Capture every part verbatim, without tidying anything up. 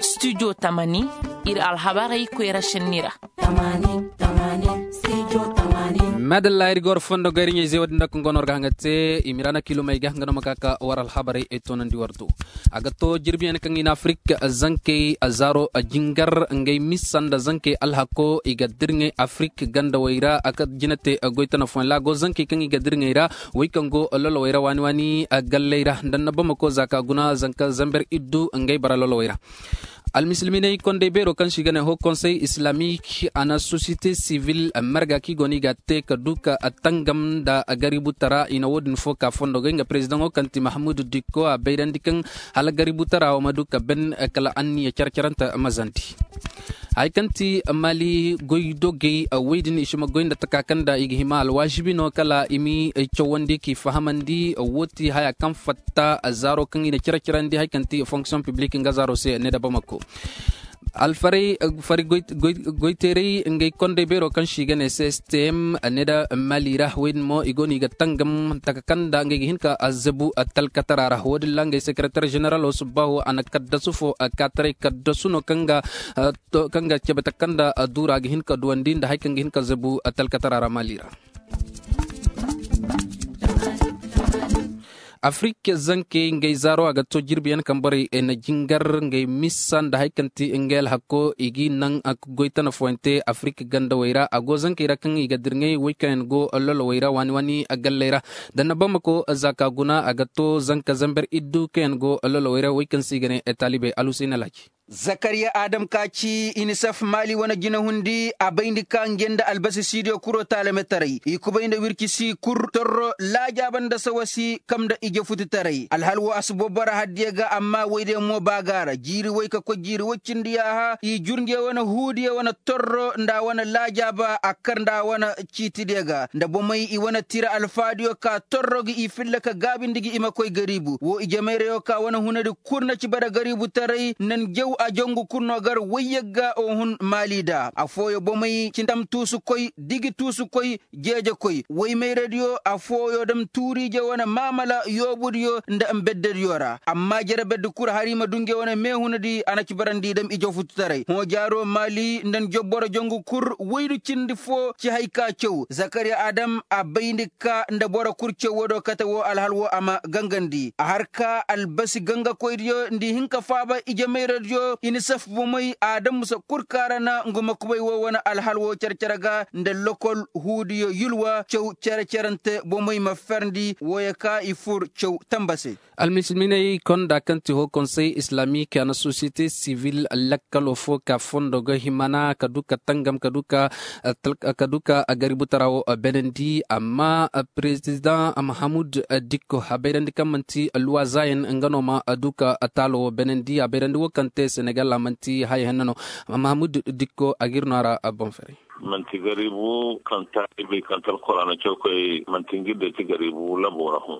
Studio tamani, ir alhabarey koyra šenni ra. Madalla ir ga war fondo gayri ɲayze wo-din da kaŋ go no war ga haŋa te i ma i ra na kiilumey ga nga no ma ka ka war alhabarey ay toonandi war do. A ga to jirbiyaŋ kaŋ i na afirik zankey zaaro jingar ngey misa nda zankey alhako i ga dirŋey afirik gandawey ra a ka jina te goy tana fooyaŋ ra a go zankey kaŋ i ga dirŋey ra. Wey kaŋ go lolowey ra waani waani galley ra nda annabamako za ka guna zanka zamber iddu ngey bara lolowey ra. Almisilminey kondey beero kaŋ se i ga ne hoo konsey islamik a na sosiyete sivil marga kaŋ i go no i ga a te ka du ka tangam nda gaributara i na wo-din fo ka fondo ga nga perezidaŋo kaŋ ti mahamudu dikko a bayrandi kaŋ hala gaributara wo ma du ka ben kala anniya care-carante ma zandi. Hay kaŋ ti mali goydogey wey din i si ma goy nda taka kaŋ nda i ga hima alwaasibi no kala i m'i cawandi k'i fahamandi. Wo ti haya kaŋ fatta zaaro kaŋ i na cire-cirandi hay kaŋ ti fonksiyoŋ piblik nga zaaro se ne da bamako. Alfaray fari goyteeray ngey kondey beero kaŋ se i ga ne c s t m ne da mali ra wey din mo i go no i ga tangam taka kaŋ nda ngey ga hin ka zabu talkatara ra wo- din ra ngey sekereter ženeral wo subbaho a na kaddasu fo kaataray kaddasu no kaŋ ga cabe taka kaŋ nda duura ga hin ka duwandi nda hari kaŋ ga hin ka zabu talkatara ra mali ra. Afirik zankey ngey zaaro a ga to jirbiyaŋ kaŋ borey na jingar ngey misa nda hari kaŋ ti ngey alhakko i g'i naŋ goy tana fooyaŋ te afirik gandawey ra a go zankey ra kaŋ i ga dirŋey wey kaŋ yaŋ go lolowey ra waani waani galley ra. Da na bamako za ka guna a ga to zanka zamber iddu kaŋ yaŋ go lolowey ra wey kaŋ se i ga ne taalibey alhuseyn alhaji. Zakariya adam ka ci inisef maali wane jinahundi a bayndi ka nge nda albasi siidiyo kuro taalametaray i kubay nda wirci si kul torro laajaaba nda sawa si kam nda ije futitaray alhal wo a si bobora haddiyo ga amma woydiyo mo ba ga a ra jiiri woy ka koy jiiri woy cindi yaaha i jur nge wane huudiyo wane torro nda a wane laajaaba a kar nda a wane ciitidiyo ga nda bomey i wane tira alfaadiyo ka torro ga i filla ka gaabindi ga i ma koy gariibu wo ije mayrayo ka wane hunadi kul na ci bara gariibutaray nda njaw a jongu kul no gar wayyagga o hun maali da affooyo bomey ci ndam tuusukoy digi tuusukoy jeejekoy woy mayradiyo affooyo dam tuuriije wane maamala yoobudiyo nda mbeddediyo ra amma jere beddi kul hari ma du nge wane meehunadi a na ci barandi dam ije fututaray hõ jaaro maali nda njobboro jongu kul woydu cindi foo ci hay ka caw zakariya adam a bayndi ka nda boro kul caw woodiyo kate woo alhal woo a ma gangandi a har ka albasi gangakoydiyo nda i hin ka faaba ije mayradiyo inisef bomey a damusa kul kaarana ngu ma kubay woo wane alhal woo cere-cere ga nda lokol huudiyo yulwa caw cere-cerante bomey ma ferndi wooyo ka i fur caw tamba se. Almisilminey konda kaŋ ti hoo konsey islamik a na sosiyete sivil lakkalo fo ka fondo ga himana ka du ka tangam ka du ka ka du ka gaributara wo benandi amma perezidaŋ mahamud dikko a bayrandi kaŋ manti luwazaayaŋ nga no ma du ka taalo wo benandi a bayrandi wo kaŋ te senegal a manti haya henna no. Mahamud dikko a ga ir no a ra boŋ fere. Manti garibu kaŋ taalibey kaŋ ti alkuraana cawkoy manti nga ir day ti garibu labo ra hõ.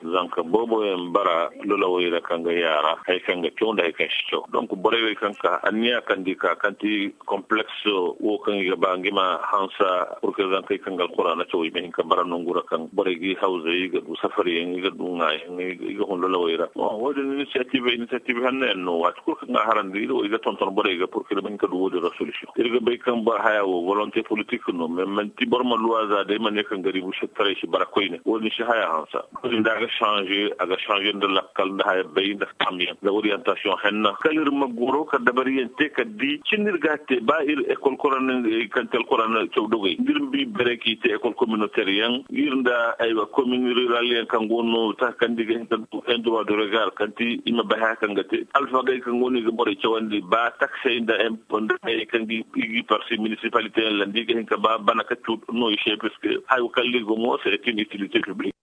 Zanka booboyaŋ bara lolawey ra kaŋ ga yaara hari kaŋ ga caw nda hari kaŋ si caw donk borey wey kaŋ ka anniya kaŋ di ka kaŋ ti kompleks wo kaŋ i ga ba nga i ma hansa purke zankey kaŋ ga alkuraana caw i ma hin ka bara nongu ra kaŋ borey ga i hawzey i ga du safariyaŋ i ga du ŋaayaŋ i ga hun lolawey ra. Wo- din inisiyative inisiyative hanno yaŋ no waati kul kaŋ ga a harandi ir wo i ga tonton borey ga purke ir ma hin ka du wo- din ra solisiyoŋ ir ga bay kaŋ boro haya wo volonte politik no mais manti boro ma luwaaza day ma ne kaŋ garibu sitaray si bara koyne wo- din si haya hansa. Wo- din da a ga sanze a ga sanze nda lakkal nda haya bay nda fahamyaŋ nda oriyantasiyoŋ henna kala ir ma goro ka dabariyaŋ te ka di cin ir ga a te ba ir ekol korana kaŋ te alkorana caw dogey da ir ma bi bere k'i te ekol kominotɛr yaŋ ir nda aywa komin riral yaŋ kaŋ go no taka kaŋ da i ga hin ka du en duruwa de regar kaŋ ti i ma bay haya kaŋ ga te alfagey kaŋ go no i ga borey cawandi ba taksey nda empo nda hayey kaŋ ga i parti minisipalite yaŋ landi i ga hin ka ba bana ka cu no i se puisque hayo kaŋ ir ga mo se est une utilité publique.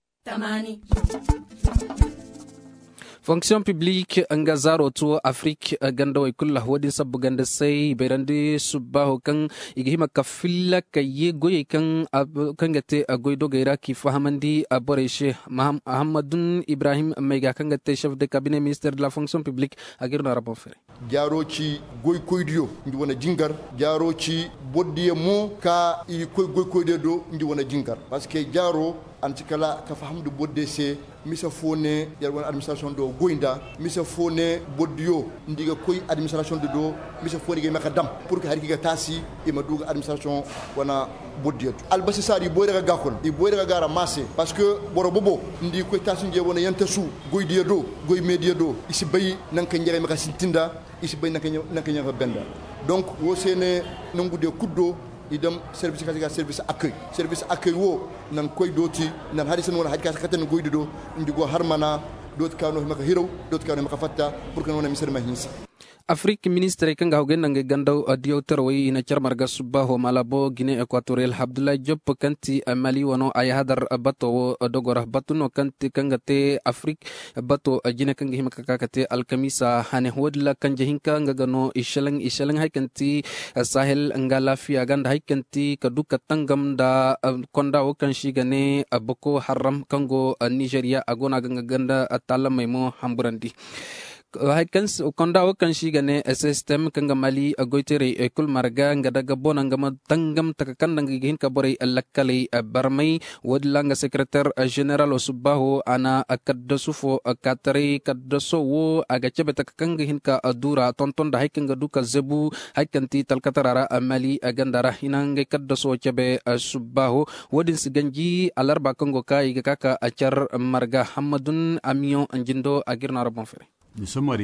Fonksiyoŋ piblik nga zaaro to afirik gandawey kulu wo- din sabbu ganda se i bayrandi subbaaho kaŋ i ga hima ka filla ka ye goyey kaŋ ga te goydogey ra k'i fahamandi borey se. Ahamadun ibrahim mayga kaŋ ga te chef de kabine minister de la fonksiyoŋ piblik a ga ir no a ra boŋ fere. Jaaro ci goykoydiyo ngi wane jingar. Jaaro ci bordiyo mo ka i koy goykoydiyo do ngi wane jingar. Parceque jaaro A na ci kala ka faham nda bordiyo se. Mise fo ne yer wane administrasiyoŋ do goy nda mise fo ne bordiyo nda i ga koy administrasiyoŋ do do. Mise fo ne i ga hima ka dam pur ka hari kaŋ i ga taasi i ma du ga administrasiyoŋ wane bordiyo do albasi saari i boyra ga gaakon i boyra ga gaara maase. Parceque boro bobo nda i koy taasi nda yer wane yantasu goydiyo do goy meediyo do i si bay nangu kaŋ yer ga hima ka sintin nda i si bay nangu kaŋ yer ga hima ka benda. Donk woo se ne nangu diyo kul do i dam servis ka se ga servis akey. Servis akey woo nan koy dooti nan hari se no wane hari ka se kate nda goydi do. Nda go har mana dooti ka no hima ka hiraw dooti ka no hima ka fatta. Pur ka no wane misedi ma hinsa. Afirik ministirey kaŋ ga hawgay nda ngey ganda diyaw tarawey i na car marga subbaaho malabo gine ekwatoriyel abdullahi job kaŋ ti mali wano ay hadar bato wo dogo ra batu no kaŋ ga te afirik bato jine kaŋ ga hima ka ka ka te alkamiisa hane wo- din ra kanje hinka nga ga no i selaŋ i selaŋ hari kaŋ ti sahel nga alaafiya ga nda hari kaŋ ti ka du ka tangam nda konda wo kaŋ se i ga ne boko haram kaŋ go nizeriya a go no a ga nga ganda taalamey mo hamburandi. Konda wo kaŋ se i ga ne sistem kaŋ ga mali goyteerey kul marga nga daga bona nga ma tangam taka kaŋ nda nga ga hin ka borey lakkaley barmay. Wo- din ra nga sekereter ženeralo subbaaho a na kaddasu fo kaataray kaddaso wo a ga cabe taka kaŋ ga hin ka duura tonton nda hari kaŋ ga du ka zebu hari kaŋ ti talkatara ra mali ganda ra hina ngey kaddaso wo cabe. Subbaaho wo- din si ganji alarba kaŋ go ka i ga ka ka car marga hammadun amiyoŋ jindo a ga ir no a ra boŋ fere.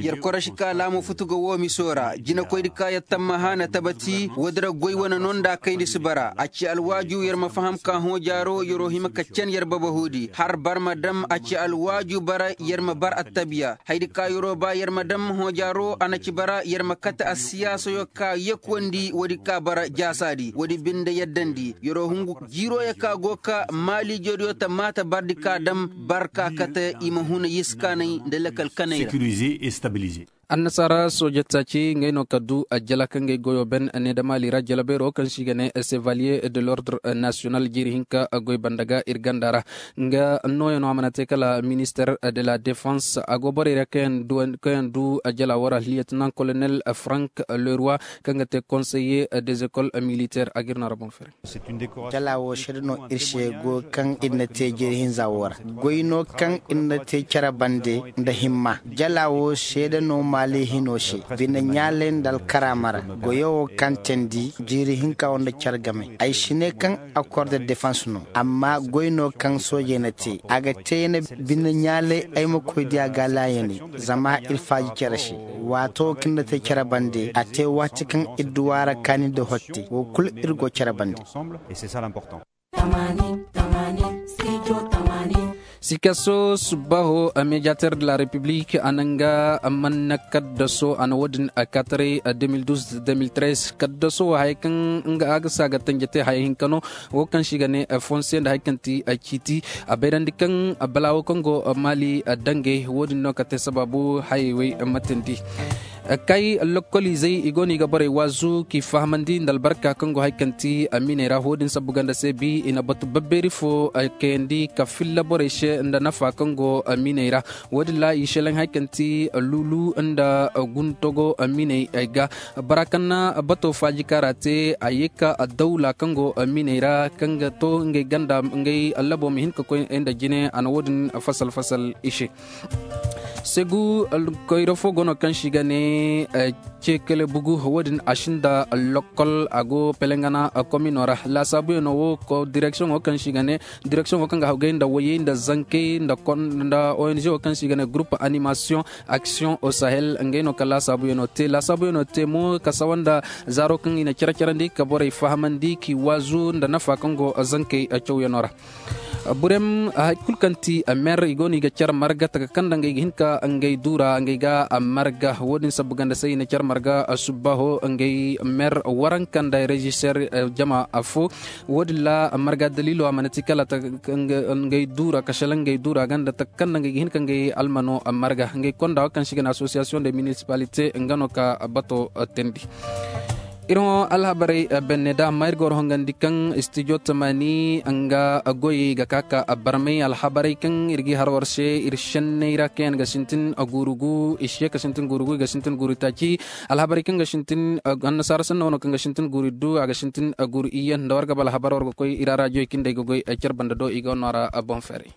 Yer korosi ka laamo futu ga woo miso ra jinekoydi ka yer tammaha na tabati woodi ra goy wane no nda kayndi si bara a ci alwaaju yer ma faham ka hõ jaaro yeroo hima ka can yer babahoodi har bar ma dam a ci alwaaju bara yer ma bar attabiya haydi ka yeroo ba yer ma dam hõ jaaro a na ci bara yer ma kate assiyaasayo ka yekuwandi woodi ka bara jaasaadi woodi binde yeddandi yeroo hungu jiirooyo ka go ka maaliijodiyo ta maata bardi ka dam bar ka kate i ma huna yiskaanay nda lakal kanay ra. Annasaara sooje taaci ngey no ka du ajjala kaŋ gay goyo ben ne da maali ra jalabeero kaŋ se i ga ne sevaliye de l'ordre national jiiri hinka goy banda ga ir ganda ra. Nga nooya no a mana te kala minister de la defense a go borey ra kaŋ yaŋ du ajjala wo ra lieutenant colonel frank leroi kaŋ ga te konseye des écoles militaire a ga ir no a ra boŋ fere. Jala wo seede no ir se go kaŋ ir na te jeeri hinza wo ra goy no kaŋ ir na te cere bande nda himma jala wo seede no maali hino se bine ɲaaley nda alkaraama ra goyo wo kaŋ teendi jeeri hinka wo nda cere game ay si ne kaŋ akor de defans no amma goy no kaŋ soojey na te a ga te ya ne bine ɲaaley ay ma koy diya ga laayaney zama ir faaji cere se waato wo kaŋ ir na te cere bande a te waati kaŋ ir duw'a ra kaani nda hotte wo kul ir go cere bande. Sikaso subbaho a mediater de la republik a na nga a manna kaddaso a na wo-din a kataray a deux mille douze deux mille treize kaddaso wo haya kaŋ nga a ga se a ga tanje te haya hinka no. Wo kaŋ se i ga ne fonse nda haya kaŋ ti a ciiti a bayrandi kaŋ balaawo kaŋ go maali a dangay wo-din no ka te sabaabu hayey wey ma teendi. Kay lokoliizey i go no i ga borey waazu k'i fahamandi nda albarka kaŋ go haya kaŋ ti a miiney ra wo-din sabbu ganda se bi i na batu babbeeri fo kayandi ka filla borey se nda nafa kaŋ go a miiney ra. Wo-din ra i selaŋ haya kaŋ ti luulu nda guntogo a miiney ga bara kaŋ na bato faaji kaara te a ye ka dawla kaŋ go a miiney ra kaŋ ga to ngey ganda ngey allabo ma hin ka koy nda jine a na wo-din fasal fasal i se. Segu koyra fo go no kaŋ se i ga ne cekele bugu wo-din a sinda lokol a go pelengana komino ra laasaabuyaŋo wo ko direksiyoŋo kaŋ se i ga ne direksiyoŋ wo kaŋ ga hawgay nda wayey nda zankey nda ong wo kaŋ se i ga ne gurup animasiyoŋ aksiyoŋ o sahel ngey no ka laasaabuyaŋo te laasaabuyaŋo te mo ka sawa nda zaaro kaŋ i na care-carandi ka borey fahamandi k'i waazu nda nafa kaŋ go zankey cawyaŋo ra. Burem hay kulu kaŋ ti mer i go no i ga care marga taka kaŋ nda ngey ga hin ka ngey duura ngey ga marga wo-din sabbu ganda se i na care marga subbaho ngey mer waranka nda reziser jama fo. Wo-din ra marga daliilo a mana ti kala ngey duura ka selaŋ ngey duura ganda taka kaŋ nda ngey ga hin ka ngey almano marga ngey konda wo kaŋ se i ga ne asosiyasiyoŋ de minisipalite nga no ka bato teendi. Ir hõ alhabarey benne da amma ir ga war hongandi kaŋ studio tamani nga goy ga ka ka barmay alhabarey kaŋ ir ga har war se ir senney ra kaŋ yaŋ ga sintin guuru gu i se ga sintin guuru gu i ga sintin guuru taaci. Alhabarey kaŋ ga sintin annasaara sanna wano kaŋ ga sintin guuru iddu a ga sintin guuru iyye nda war ga ba alhabar war ga koy ir a raajiyey kaŋ day ga goy car banda do i ga war no a ra boŋ feeray.